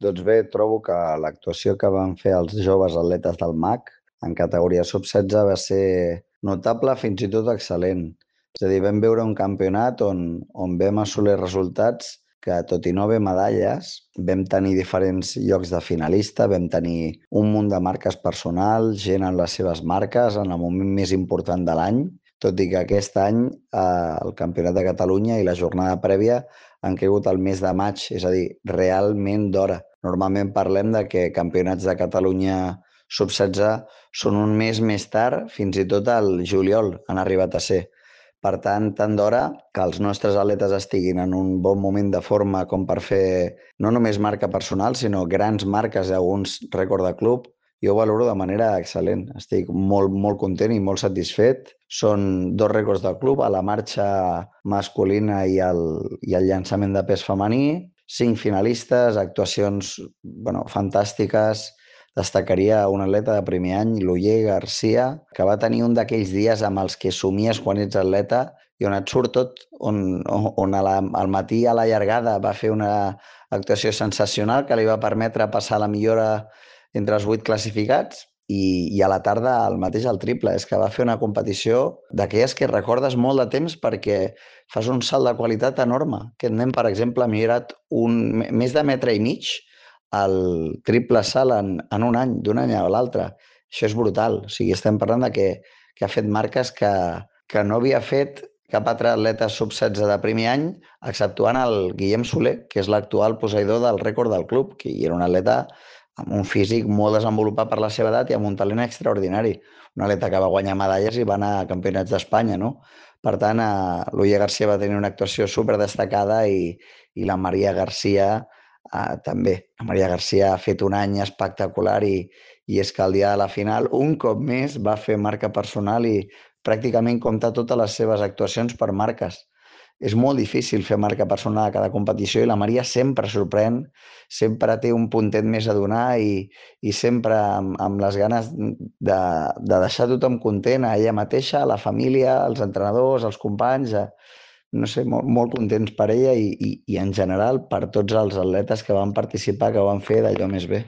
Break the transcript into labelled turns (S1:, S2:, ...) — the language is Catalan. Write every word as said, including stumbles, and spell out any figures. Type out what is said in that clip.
S1: Doncs bé, trobo que l'actuació que van fer els joves atletes del M A C en categoria sub setze va ser notable, fins i tot excel·lent. És a dir, vam veure un campionat on, on vam assolir resultats que, tot i no haver medalles, vam tenir diferents llocs de finalista, vam tenir un munt de marques personals, gent en les seves marques, en el moment més important de l'any, tot i que aquest any eh, el Campionat de Catalunya i la jornada prèvia han caigut al mes de maig, és a dir, realment d'hora. Normalment parlem de que campionats de Catalunya sub setze són un mes més tard, fins i tot al juliol han arribat a ser. Per tant, tant d'hora que els nostres atletes estiguin en un bon moment de forma com per fer no només marca personal, sinó grans marques i alguns rècord de club, jo ho valoro de manera excel·lent. Estic molt, molt content i molt satisfet. Són dos rècords del club, a la marxa masculina i el, i el llançament de pes femení, cinc finalistes, actuacions bueno, fantàstiques. Destacaria un atleta de primer any, l'Oller Garcia, que va tenir un d'aquells dies amb els que somies quan ets atleta i on et surt tot, on, on a la, al matí a la llargada va fer una actuació sensacional que li va permetre passar la millora entre els vuit classificats i, i a la tarda el mateix al triple. És que va fer una competició d'aquelles que recordes molt de temps perquè fas un salt de qualitat enorme. Aquest nen, per exemple, ha millorat un, més de metre i mig el triple salt en, en un any, d'un any a l'altre. Això és brutal. O sigui, estem parlant de que, que ha fet marques que, que no havia fet cap altre atleta sub setze de primer any, exceptuant el Guillem Soler, que és l'actual posseïdor del rècord del club, que era un atleta amb un físic molt desenvolupat per la seva edat i amb un talent extraordinari. Un atleta que va guanyar medalles i va anar a campionats d'Espanya, no? Per tant, eh, l'Ulla Garcia va tenir una actuació super destacada i, i la Maria Garcia eh, també. La Maria Garcia ha fet un any espectacular i, i és que el dia de la final, un cop més, va fer marca personal i pràcticament compta totes les seves actuacions per marques. És molt difícil fer marca personal a cada competició i la Maria sempre sorprèn, sempre té un puntet més a donar i, i sempre amb, amb les ganes de, de deixar tothom content, a ella mateixa, a la família, als entrenadors, als companys, a, no sé, molt, molt contents per ella i, i, i en general per tots els atletes que van participar, que ho van fer d'allò més bé.